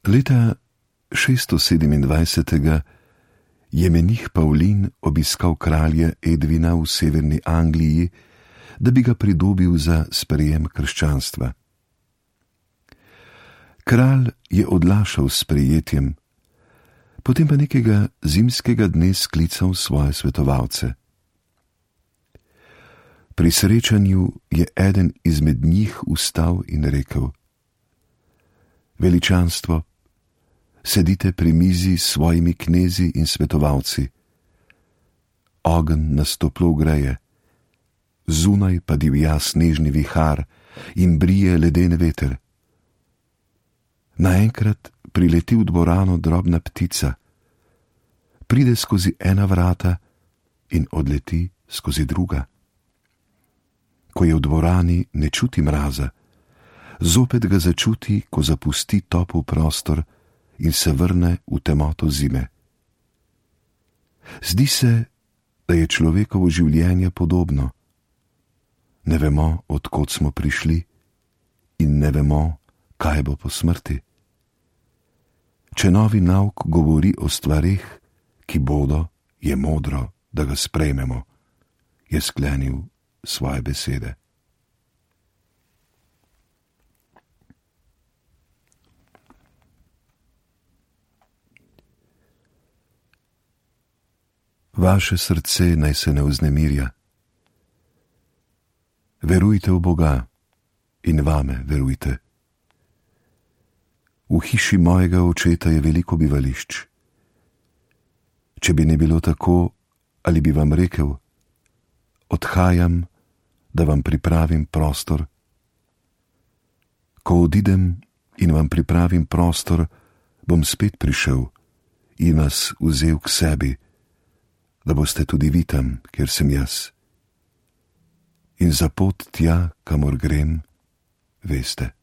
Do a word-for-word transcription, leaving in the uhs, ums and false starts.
Leta šeststo sedemindvajset je menih Pavlin obiskal kralja Edvina v severni Angliji, da bi ga pridobil za sprejem krščanstva. Kralj je odlašal s sprejetjem, potem pa nekega zimskega dne sklical svoje svetovalce. Pri srečanju je eden izmed njih vstal in rekel: Veličanstvo, sedite pri mizi s svojimi knezi in svetovalci. Ogenj nas toplo greje, zunaj pa divja snežni vihar in brije leden veter. Naenkrat prileti v dvorano drobna ptica, pride skozi ena vrata in odleti skozi druga. Ko je v dvorani, ne čuti mraza, zopet ga začuti, ko zapusti topel prostor in se vrne v temoto zime. Zdi se, da je človekovo življenje podobno. Ne vemo, od kod smo prišli, in ne vemo, kaj bo po smrti. Če novi nauk govori o stvareh, ki bodo, je modro, da ga sprejmemo, je sklenil svoje besede. Vaše srce naj se ne vznemirja. Verujte v Boga in vame verujte. V hiši mojega očeta je veliko bivališč. Če bi ne bilo tako, ali bi vam rekel: odhajam, da vam pripravim prostor. Ko odidem in vam pripravim prostor, bom spet prišel in vas vzel k sebi, da boste tudi vi tam, kjer sem jaz. In za pot tja, kamor grem, veste.